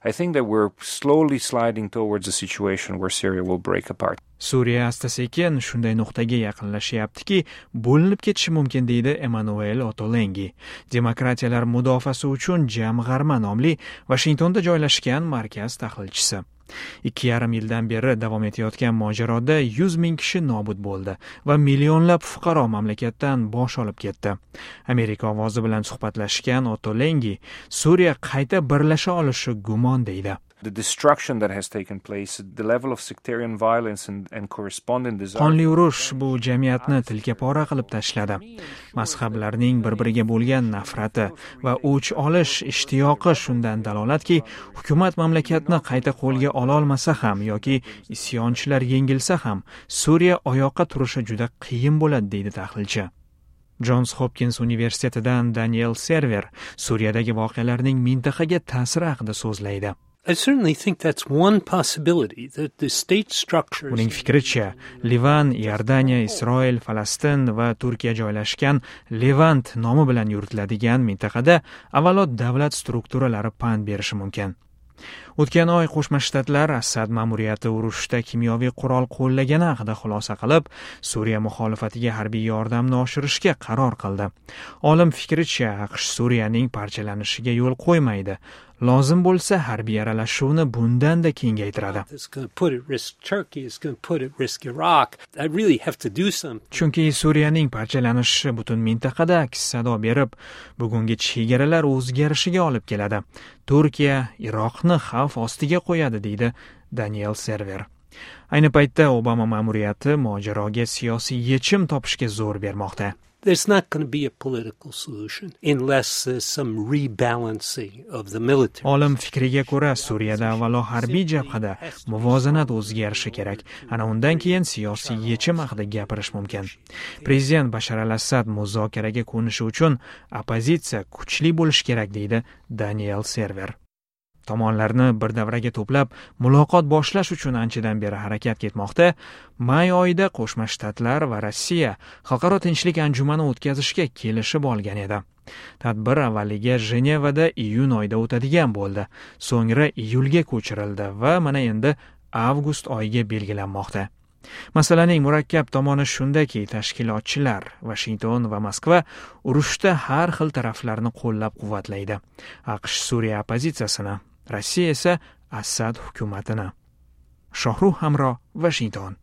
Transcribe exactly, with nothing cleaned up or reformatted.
I think that we're slowly sliding towards a situation where Syria will break apart. Suriya asta sekin shunday nuqtaga yaqinlashyaptiki, bo'linib ketishi mumkin, deydi Emanuel Otolengi, Demokratiyalar mudofaasi uchun jamg'arma nomli Vashingtonda joylashgan markaz tahlilchisi. Ikki yarim yildan beri davom etayotgan mojaroda yuz ming kishi nobud bo'ldi va millionlab fuqaro mamlakatdan bosh olib ketdi. Amerika ovozi bilan suhbatlashgan Otolengi Suriya qayta birlasha olishi gumon, deydi. The destruction that has taken place, the level of sectarian violence and, and corresponding desire. Qonli urush bu jamiyatni tilka pora qilib tashladi. Mazhablarning bir-biriga bo'lgan nafrati va o'ch olish ishtiyoqi shundan dalolatki, hukumat mamlakatni qayta qo'lga ololmasa ham yoki isyonchilar yengilsa ham, Suriya oyoqqa turishi juda qiyin bo'ladi, deydi tahlilchi. Jons Hopkins universitetidan Daniel Server Suriyadagi voqealarning mintaqaga ta'siri haqida so'zlaydi. I certainly think that's one possibility, that the state structures. Uning fikricha, Livan, Iordaniya, Isroil, Falastin va Turkiya joylashgan Levant nomi bilan yuritiladigan mintaqada avvalo davlat strukturalari pand berishi mumkin. O'tgan oy Qo'shma Shtatlar Assad ma'muriyati urushda kimyoviy qurol qo'llagani haqida xulosa qilib, Suriya muxolifatiga harbiy yordamni oshirishga qaror qildi. Olim fikricha, A Q Sh Suriyaning parchalanishiga yo'l qo'ymaydi. Lozim bo'lsa, harbiy aralashuvni bundanda kengaytiradi. It's going to put at risk Turkey, it's going to put at risk Iraq. I really have to do something. Chunki Suriyaning parchalanishi butun mintaqada aks sado berib, bugungi chegaralar o'zgarishiga olib keladi. Turkiya, Iroqni xavf ostiga qo'yadi, deydi Daniel Server. Ayni paytda Obama ma'muriyati mojaroga siyosiy yechim topishga zo'r bermoqda. There's not going to be a political solution unless there's some rebalancing of the military. Olim fikriga ko'ra, Suriyada avvalo harbiy jabhada muvozanat o'zgarishi kerak. Ana undan keyin siyosiy yechim haqida gapirish mumkin. Prezident Bashar al-Assad muzokaraga ko'nishi uchun oppozitsiya kuchli bo'lishi kerak, deydi Daniel Server. Tomonlarni bir davraga to'plab, muloqot boshlash uchun anchadan beri harakat ketmoqda. May oyida Qo'shma Shtatlar va Rossiya xalqaro tinchlik anjumani o'tkazishga kelishib olgan edi. Tadbir avvaliga Jenevada iyun oyida o'tadigan bo'ldi. So'ngra iyulga ko'chirildi va mana endi avgust oyiga belgilanmoqda. Masalaning murakkab tomoni shundaki, tashkilotchilar Vashington va Moskva urushda har xil taraflarni qo'llab-quvvatlaydi. A Q Sh Suriya oppozitsiyasini, Rossiya esa Assad hukumatini. Shohruh Hamro, Vashington.